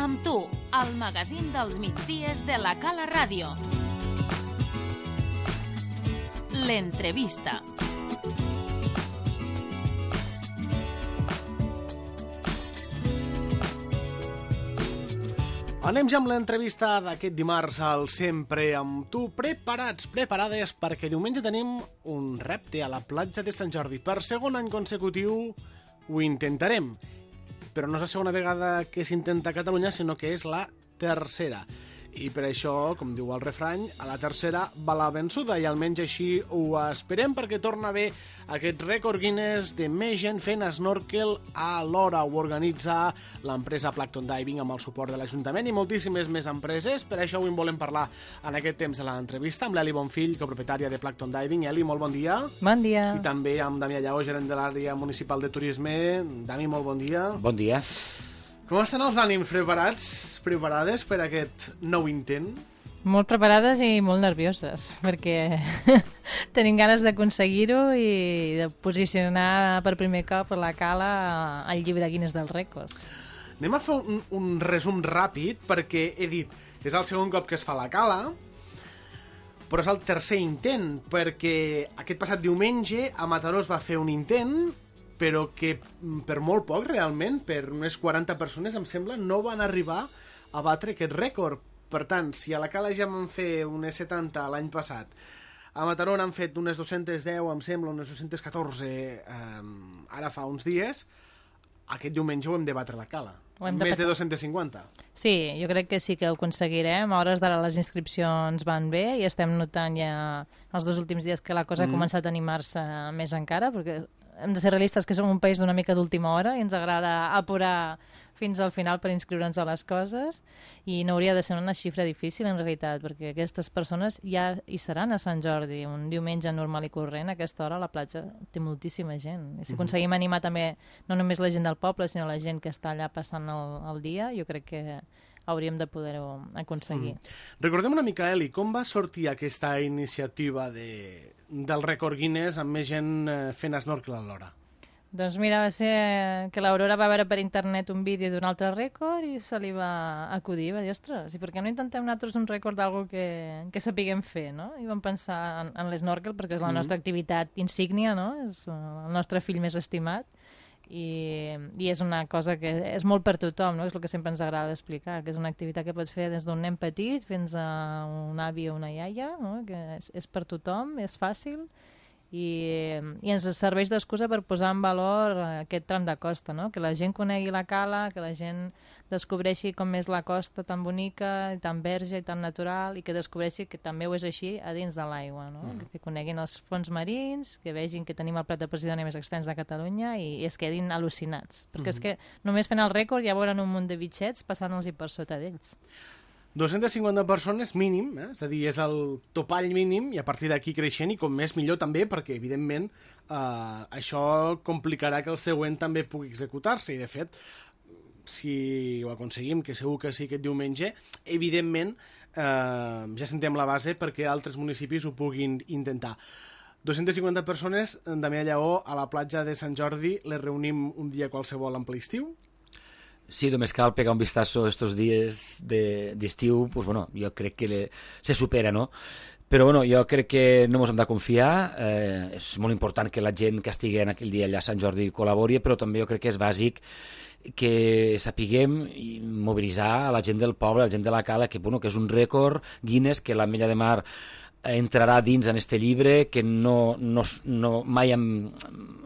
Amb tu, el magazín dels migdies de la Cala Ràdio. L'entrevista. Anem ja amb l'entrevista d'aquest dimarts al Sempre amb tu. Preparats, preparades, perquè diumenge tenim un repte a la platja de Sant Jordi. Per segon any consecutiu ho intentarem, però no és la segona vegada que s'intenta a Catalunya, sinó que és la tercera. I per això, com diu el refrany, a la tercera va la vençuda, i almenys així ho esperem, perquè torna a haver aquest rècord Guinness de més gent fent snorkel alhora. Ho organitza l'empresa Plankton Diving amb el suport de l'Ajuntament i moltíssimes més empreses. Per això avui en volem parlar en aquest temps de l'entrevista amb l'Eli Bonfill, copropietària de Plankton Diving. Eli, molt bon dia. Bon dia. I també amb Damià Lleó, gerent de l'àrea municipal de turisme. Dami, molt bon dia. Bon dia. Com estan els ànims? Preparades per aquest nou intent? Molt preparades i molt nervioses, perquè tenim ganes d'aconseguir-ho i de posicionar per primer cop la Cala al llibre Guinness dels rècords. Anem a fer un resum ràpid, perquè he dit que és el segon cop que es fa la Cala, però és el tercer intent, perquè aquest passat diumenge a Mataró es va fer un intent, però que per molt poc, realment, per unes 40 persones, em sembla, no van arribar a batre aquest rècord. Per tant, si a la Cala ja vam fer unes 70 l'any passat, a Mataró n'han fet unes 210, em sembla, unes 214 ara fa uns dies, aquest diumenge ho hem de batre a la Cala. Més de 250. Sí, jo crec que sí que ho aconseguirem. A hores d'ara les inscripcions van bé i estem notant ja els dos últims dies que la cosa ha començat a animar-se més encara, perquè hem de ser realistes que som un país d'una mica d'última hora i ens agrada apurar fins al final per inscriure'ns a les coses, i no hauria de ser una xifra difícil en realitat, perquè aquestes persones ja hi seran a Sant Jordi un diumenge normal i corrent. A aquesta hora la platja té moltíssima gent, i si aconseguim animar també no només la gent del poble sinó la gent que està allà passant el dia, jo crec que hauríem de poder-ho aconseguir. Recordem una mica, Eli, com va sortir aquesta iniciativa del rècord Guinness amb més gent fent snorkel alhora? Doncs mira, va ser que l'Aurora va veure per internet un vídeo d'un altre rècord i se li va acudir, va dir, ostres, i per què no intentem nosaltres un rècord d'algú que sapiguem fer, no? I vam pensar en l'esnorkel perquè és la nostra activitat insígnia, no? És el nostre fill més estimat. I és una cosa que és molt per tothom, no? És el que sempre ens agrada explicar, que és una activitat que pots fer des d'un nen petit fins a un avi o una iaia, no? Que és per tothom, és fàcil i ens serveix d'excusa per posar en valor aquest tram de costa, no? Que la gent conegui la Cala, que la gent descobreixi com és la costa tan bonica, tan verge i tan natural, i que descobreixi que també ho és així a dins de l'aigua, no? Que coneguin els fons marins, que vegin que tenim el plat de Posidònia més extens de Catalunya i es quedin al·lucinats, perquè és que només fent el rècord ja veuran un munt de bitxets passant-los per sota d'ells. 250 persones mínim, és a dir, és el topall mínim, i a partir d'aquí creixent, i com més millor també, perquè evidentment això complicarà que el següent també pugui executar-se, i de fet, si ho aconseguim, que segur que sí aquest diumenge, evidentment ja sentem la base perquè altres municipis ho puguin intentar. 250 persones, Damià Lleó, a la platja de Sant Jordi, les reunim un dia qualsevol en ple estiu? Sí, només cal pegar un vistazo estos dies d'estiu, pues bueno, jo crec que se supera, no? Però bueno, jo crec que no ens hem de confiar, és molt important que la gent que estigui en aquell dia allà a Sant Jordi col·labori, però també jo crec que és bàsic que sapiguem mobilitzar a la gent del poble, a la gent de la Cala, que, bueno, que és un rècord Guinness, que l'Ametlla de Mar entrarà dins en este llibre, que mai hem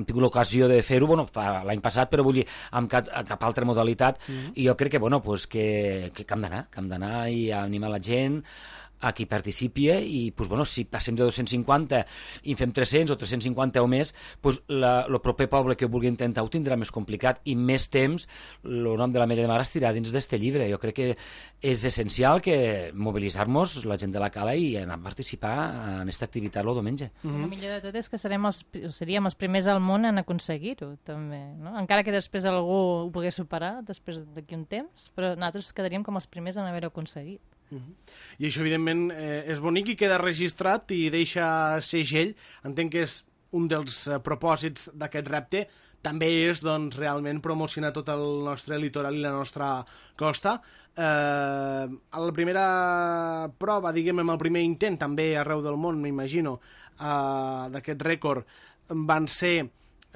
tingut l'ocasió de fer-ho, bueno, l'any passat, però vull dir, amb cap altra modalitat, i jo crec que, bueno, pues, que hem d'anar i animar la gent a qui participi, i pues, bueno, si passem de 250 i fem 300 o 350 o més, pues, el proper poble que ho vulgui intentar ho tindrà més complicat i més temps el nom de l'Ametlla de Mar estirà dins d'este llibre. Jo crec que és essencial que mobilitzar-nos la gent de la Cala i anar a participar en aquesta activitat el diumenge. El millor de tot és que seríem els primers al món en aconseguir-ho, també, no? Encara que després algú ho pogués superar després d'aquí un temps, però nosaltres quedaríem com els primers en haver-ho aconseguit. I això, evidentment, és bonic i queda registrat i deixa segell. Entenc que és un dels propòsits d'aquest repte, també és doncs, realment promocionar tot el nostre litoral i la nostra costa. A la primera prova, diguem, el primer intent, també arreu del món, m'imagino, d'aquest rècord, van ser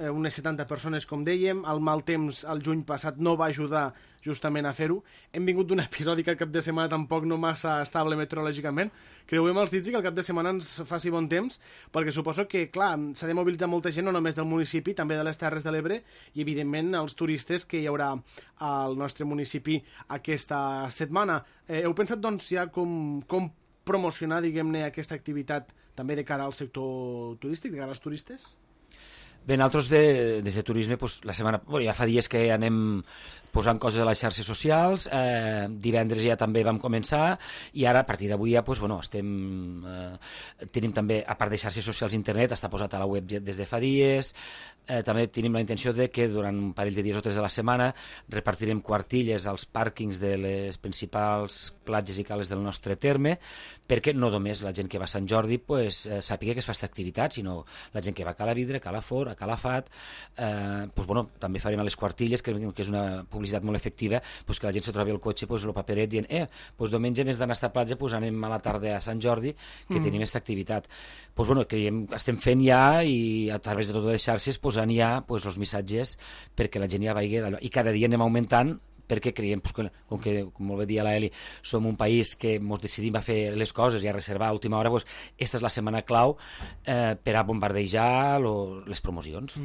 unes 70 persones, com dèiem. El mal temps el juny passat no va ajudar justament a fer-ho. Hem vingut d'un episodi que el cap de setmana tampoc no massa estable meteorològicament. Creuem els dits i que el cap de setmana ens faci bon temps, perquè suposo que, clar, s'ha de mobilitzar molta gent, no només del municipi, també de les Terres de l'Ebre, i evidentment els turistes que hi haurà al nostre municipi aquesta setmana. Heu pensat, doncs, ja com promocionar, diguem-ne, aquesta activitat també de cara al sector turístic, de cara als turistes? Bé, nosaltres des de turisme la setmana... Bueno, ja fa dies que anem posant coses a les xarxes socials, divendres ja també vam començar, i ara a partir d'avui ja tenim també, a part de xarxes socials, internet, està posat a la web des de fa dies. També tenim la intenció de que durant un parell de dies o 3 de la setmana repartirem quartilles als pàrquings de les principals platges i cales del nostre terme, perquè no només la gent que va a Sant Jordi sàpiga que es fa aquesta activitat, sinó la gent que va a Cala Vidre, a Calafort, a Calafat. També farem a les quartilles, que és una publicitat molt efectiva, que la gent se trobi el cotxe, el paperet, dient diumenge més d'anar a esta platja anem a la tarda a Sant Jordi, que tenim aquesta activitat. Creiem, estem fent ja, i a través de totes les xarxes posant ja els missatges perquè la gent ja vagi d'allò, i cada dia anem augmentant, perquè creiem que, com molt bé dia la Eli, som un país que ens decidim a fer les coses i a reservar a última hora, esta és la setmana clau per a bombardejar les promocions.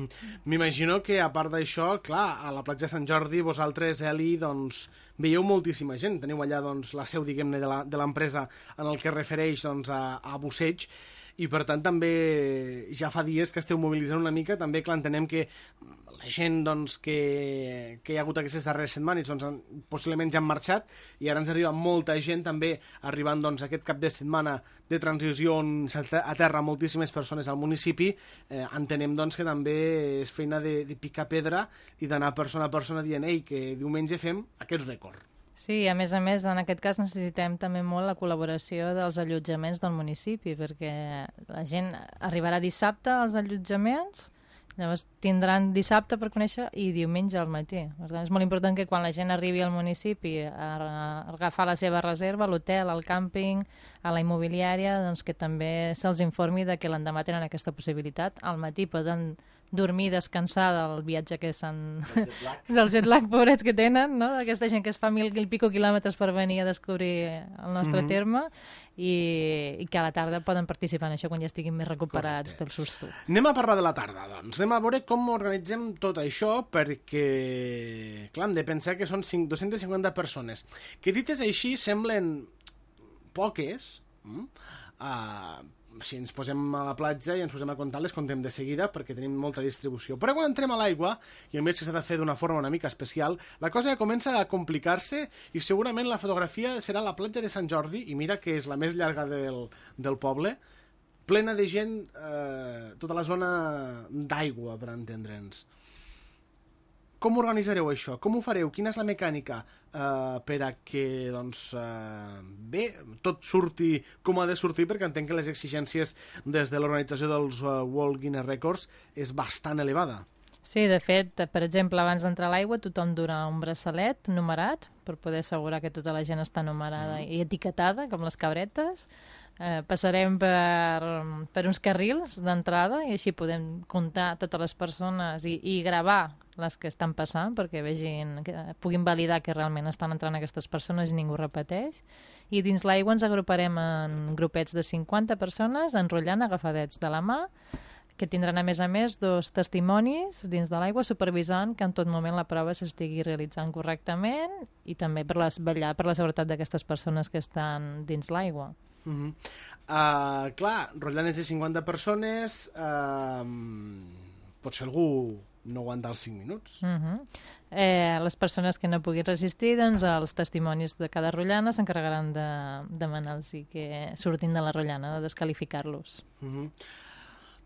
M'imagino que, a part d'això, clar, a la platja de Sant Jordi, vosaltres, Eli, doncs, veieu moltíssima gent. Teniu allà doncs, la seu, diguem-ne, de l'empresa en el que es refereix doncs, a busseig, i per tant també ja fa dies que esteu mobilitzant una mica. També, clar, entenem que la gent doncs, que hi ha hagut aquestes darreres setmanes doncs, possiblement ja han marxat, i ara ens arriba molta gent també arribant doncs, aquest cap de setmana de transició on s'aterra moltíssimes persones al municipi. Entenem doncs, que també és feina de picar pedra i d'anar persona a persona dient que diumenge fem aquest rècord. Sí, a més, en aquest cas necessitem també molt la col·laboració dels allotjaments del municipi, perquè la gent arribarà dissabte als allotjaments, llavors tindran dissabte per conèixer i diumenge al matí. Per tant, és molt important que quan la gent arribi al municipi a agafar la seva reserva, a l'hotel, al càmping, a la immobiliària, doncs que també se'ls informi de que l'endemà tenen aquesta possibilitat. Al matí poden dormir, descansar del viatge que s'han... del jet lag, pobrets, que tenen, no? Aquesta gent que es fa 1.000 i pico quilòmetres per venir a descobrir el nostre terme, i que a la tarda poden participar en això quan ja estiguin més recuperats del susto. Anem a parlar de la tarda, doncs. Anem a veure com organitzem tot això, perquè, clar, hem de pensar que són 250 persones, que dites així semblen poques. Si ens posem a la platja i ens posem a comptar, les contem de seguida perquè tenim molta distribució. Però quan entrem a l'aigua, i a més que s'ha de fer d'una forma una mica especial, la cosa comença a complicar-se, i segurament la fotografia serà la platja de Sant Jordi, i mira que és la més llarga del poble, plena de gent, tota la zona d'aigua, per entendre'ns. Com organitzareu això? Com ho fareu? Quina és la mecànica per a que doncs, tot surti com ha de sortir? Perquè entenc que les exigències des de l'organització dels World Guinness Records és bastant elevada. Sí, de fet, per exemple, abans d'entrar a l'aigua tothom dura un braçalet numerat per poder assegurar que tota la gent està numerada i etiquetada, com les cabretes. Passarem per uns carrils d'entrada i així podem comptar totes les persones i gravar les que estan passant perquè puguin validar que realment estan entrant aquestes persones i ningú repeteix. I dins l'aigua ens agruparem en grupets de 50 persones enrotllant agafadets de la mà, que tindran a més 2 testimonis dins de l'aigua supervisant que en tot moment la prova s'estigui realitzant correctament i també vetllar per la seguretat d'aquestes persones que estan dins l'aigua. Clar, rotllant de 50 persones, potser algú no aguanta els 5 minuts. Les persones que no puguin resistir, doncs els testimonis de cada rotllana s'encarregaran de demanar-los que surtin de la rotllana, de descalificar-los.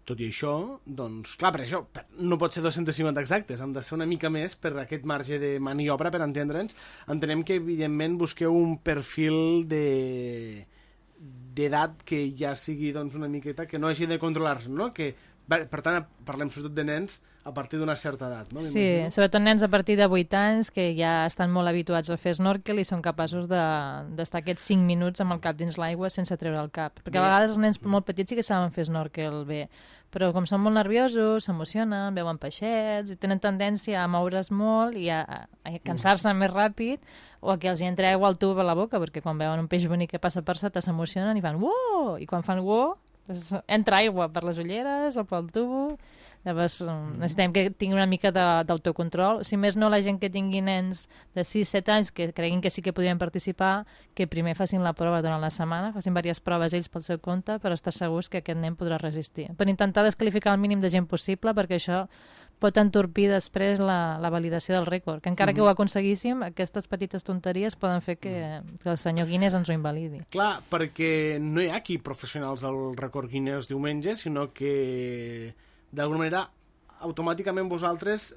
Tot i això, doncs, clar, per això no pot ser 250 exactes, han de ser una mica més per aquest marge de maniobra, per entendre'ns. Entenem que, evidentment, busqueu un perfil d'edat que ja sigui doncs, una miqueta, que no hagi de controlar-se, no? Que Per tant, parlem sobretot de nens a partir d'una certa edat, no? Sí, sobretot nens a partir de 8 anys que ja estan molt habituats a fer snorkel i són capaços d'estar aquests 5 minuts amb el cap dins l'aigua sense treure el cap. Perquè a vegades els nens molt petits sí que saben fer snorkel bé, però com són molt nerviosos, s'emocionen, veuen peixets i tenen tendència a moure's molt i a cansar-se més ràpid o a que els hi entra aigua al tub a la boca, perquè quan veuen un peix bonic que passa per sota s'emocionen i fan uoh! I quan fan uoh, doncs entra aigua per les ulleres o pel tubo. Llavors necessitem que tingui una mica d'autocontrol. Si més no, la gent que tingui nens de 6-7 anys que creguin que sí que podrien participar, que primer facin la prova durant la setmana, facin diverses proves ells pel seu compte per estar segurs que aquest nen podrà resistir. Per intentar desqualificar el mínim de gent possible, perquè això pot entorpir després la validació del rècord, que encara que ho aconseguíssim, aquestes petites tonteries poden fer que el senyor Guinness ens ho invalidi. Clar, perquè no hi ha aquí professionals del rècord Guinness diumenge, sinó que d'alguna manera automàticament vosaltres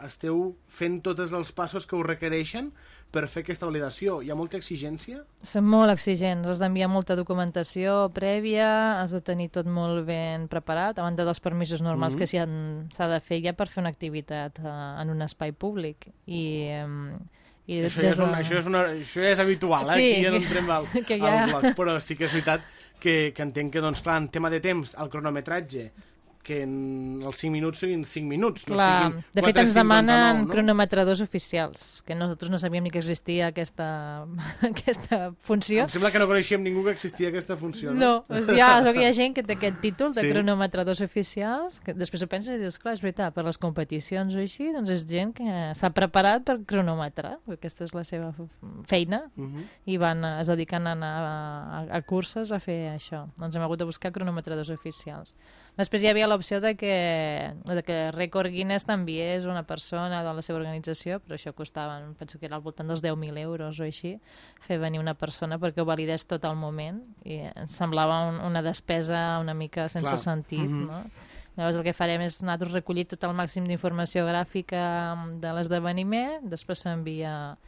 esteu fent tots els passos que us requereixen per fer aquesta validació. Hi ha molta exigència? Són molt exigents, has d'enviar molta documentació prèvia, has de tenir tot molt ben preparat, a banda dels permisos normals que s'ha de fer ja per fer una activitat en un espai públic. Això és habitual, sí, aquí ja no entrem al bloc, però sí que és veritat que entenc que, doncs, clar, en tema de temps, el cronometratge, que en els 5 minuts siguin 5 minuts, no siguin 4:59. De fet, ens demanen cronometradors oficials, que nosaltres no sabíem ni que existia aquesta funció. Em sembla que no coneixíem ningú que existia aquesta funció, no? No, doncs hi ha gent que té aquest títol de cronometradors oficials, que després ho penses i dius, clar, és veritat, per les competicions o així, doncs és gent que s'ha preparat per cronometrar, aquesta és la seva feina, i es dediquen a anar a curses a fer això. Doncs hem hagut de buscar cronometradors oficials. Després hi havia l'opció de que Record Guinness t'enviés una persona de la seva organització, però això costava, penso que era al voltant dels 10.000 euros o així, fer venir una persona perquè ho validés tot al moment, i ens semblava una despesa una mica sense sentit, no? Llavors el que farem és nosaltres recollir tot el màxim d'informació gràfica de l'esdeveniment, després s'envia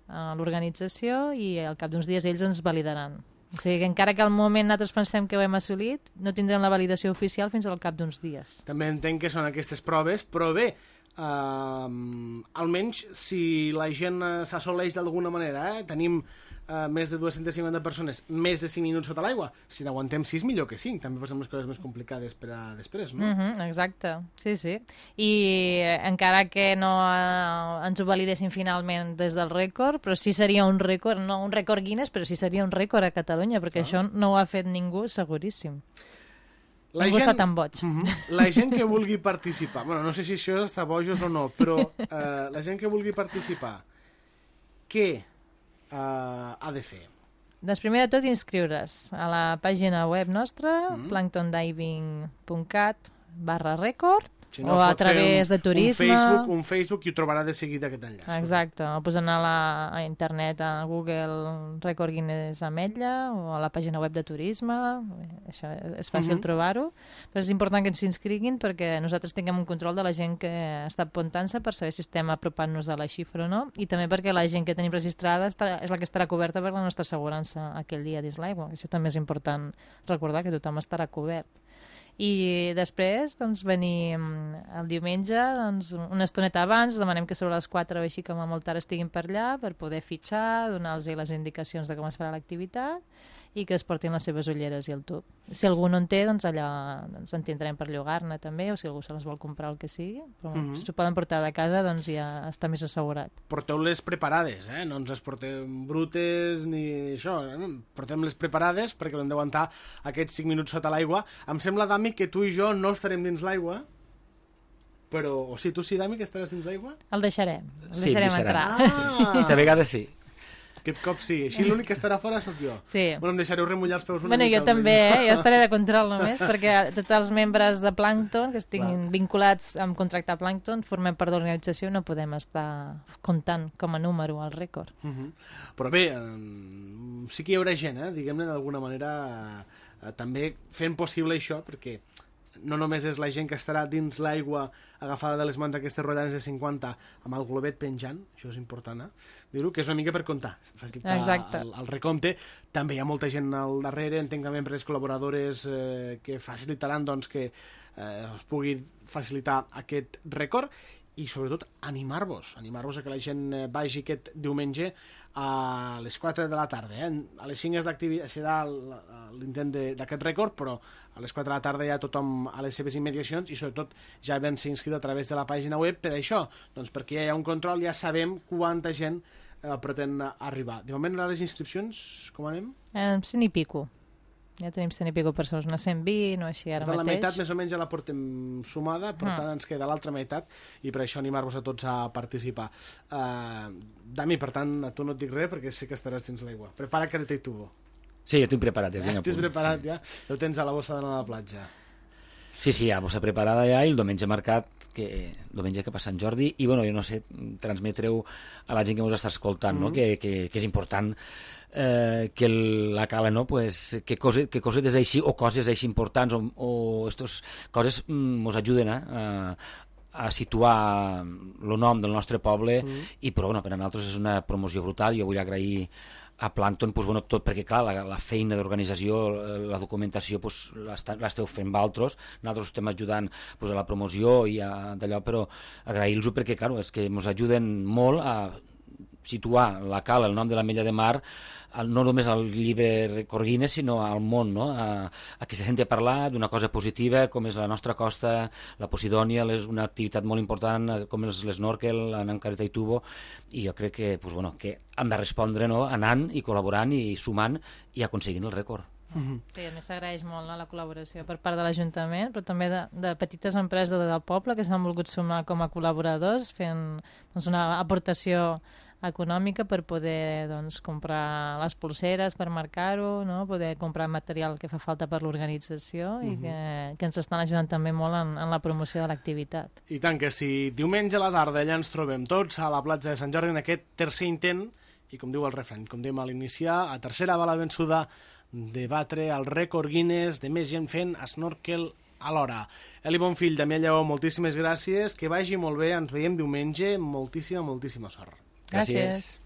a l'organització i al cap d'uns dies ells ens validaran. O sigui que encara que al moment nosaltres pensem que ho hem assolit, no tindrem la validació oficial fins al cap d'uns dies. També entenc que són aquestes proves, però bé, almenys si la gent s'assoleix d'alguna manera, tenim més de 250 persones, més de 5 minuts sota l'aigua, si n'aguantem 6 millor que 5, també posem les coses més complicades per a després, no? Exacte, sí. I encara que no ens ho validessin finalment des del rècord, però sí seria un rècord, no un rècord Guinness, però sí seria un rècord a Catalunya, perquè això no ho ha fet ningú seguríssim. Ningú està tan boig. La gent que vulgui participar, bueno, no sé si això està bojos o no, però la gent que vulgui participar, què ha de fer? Doncs primer de tot inscriure's a la pàgina web nostra, planktondiving.cat/record, o a través de turisme. Un Facebook i ho trobarà de seguida aquest enllaç. Exacte, o posant a internet, a Google, Record Guinness Ametlla, o a la pàgina web de turisme, això és fàcil trobar-ho, però és important que ens s'inscriguin perquè nosaltres tinguem un control de la gent que està apuntant-se per saber si estem apropant-nos de la xifra o no, i també perquè la gent que tenim registrada és la que estarà coberta per la nostra assegurança aquell dia dins l'aigua. Això també és important recordar, que tothom estarà cobert. I després, doncs, venim el diumenge, doncs, una estoneta abans, demanem que sobre les 4 o així com a molt tard estiguin per allà per poder fitxar, donar-los les indicacions de com es farà l'activitat i que es portin les seves ulleres i el tub. Si algú no en té, doncs allà en tindrem per llogar-ne també, o si algú se les vol comprar el que sigui, però si s'ho poden portar de casa, doncs ja està més assegurat. Porteu-les preparades, no ens les portem brutes ni això, portem-les preparades perquè l'hem d'aguantar aquests 5 minuts sota l'aigua. Em sembla, Dami, que tu i jo no estarem dins l'aigua, però, o sigui, tu sí, Dami, que estaràs dins l'aigua? El deixarem Sí, entrar. Aquesta vegada sí. Aquest cop sí. Així l'únic que estarà fora sóc jo. Sí. Bueno, em deixareu remullar els peus una mica. Jo també, jo estaré de control només, perquè tots els membres de Plankton que estiguin vinculats amb contractar Plankton, formem part de l'organització, no podem estar comptant com a número al rècord. Però bé, sí que hi haurà gent, diguem-ne, d'alguna manera, també fent possible això, perquè no només és la gent que estarà dins l'aigua agafada de les mans aquestes rotllanes de 50 amb el globet penjant, això és important, dir-ho, que és una mica per comptar, facilitar el recompte. També hi ha molta gent al darrere, entenc també empreses col·laboradores que facilitaran doncs, que es pugui facilitar aquest rècord, i sobretot animar-vos a que la gent vagi aquest diumenge a les 4 de la tarda. A les 5 serà l'intent d'aquest rècord, però a les 4 de la tarda ja tothom a les seves immediacions i sobretot ja vam ser inscrit a través de la pàgina web per això, doncs perquè ja hi ha un control, ja sabem quanta gent pretén arribar. De moment, a les inscripcions, com anem? 100 i pico. Ja tenim 100 i pico persones, una 120 o així ara mateix. La meitat més o menys ja la portem sumada, per tant ens queda l'altra meitat i per això animar-vos a tots a participar. Dami, per tant, a tu no et dic res perquè sé que estaràs dins l'aigua. Prepara careta i tubo. Sí, ja tinc preparat. Ja t'has preparat, ja? Ja ho tens a la bossa d'anar a la platja. Sí, ja, bossa preparada ja, i el diumenge marcat, el diumenge que passa Sant Jordi, i bueno, jo no sé, transmetreu a la gent que ens està escoltant, no? que és important que la cala, no? Pues, que coses així, o coses així importants, o estas coses ens ajuden a situar el nom del nostre poble, i però bueno, per a nosaltres és una promoció brutal. Jo vull agrair a Plàncton, pues, bueno, tot, perquè clar, la feina d'organització, la documentació, pues, l'esteu fent vosaltres, nosaltres estem ajudant pues, a la promoció i d'allò, però agrair-los perquè clar, és que ens ajuden molt a situar la cala, el nom de l'Ametlla de Mar, no només al llibre Corguines, sinó al món, no? a que se senti a parlar d'una cosa positiva, com és la nostra costa, la Posidònia, és una activitat molt important, com és l'snorkel, anant careta i tubo, i jo crec que, pues, bueno, que hem de respondre, no? Anant i col·laborant i sumant i aconseguint el rècord. Sí, a més s'agraeix molt la col·laboració per part de l'Ajuntament, però també de petites empreses del poble que s'han volgut sumar com a col·laboradors, fent doncs, una aportació econòmica per poder doncs, comprar les pulseres per marcar-ho, no? Poder comprar material que fa falta per l'organització i que ens estan ajudant també molt en la promoció de l'activitat. I tant que sí. Diumenge a la tarda allà ens trobem tots a la platja de Sant Jordi en aquest tercer intent, i com diu el refrany, com dèiem a l'iniciar, a tercera bala vençuda de batre el rècord Guinness de més gent fent snorkel alhora. Eli Bonfill, Damià Lleó, moltíssimes gràcies, que vagi molt bé, ens veiem diumenge, moltíssima sort. Gràcies.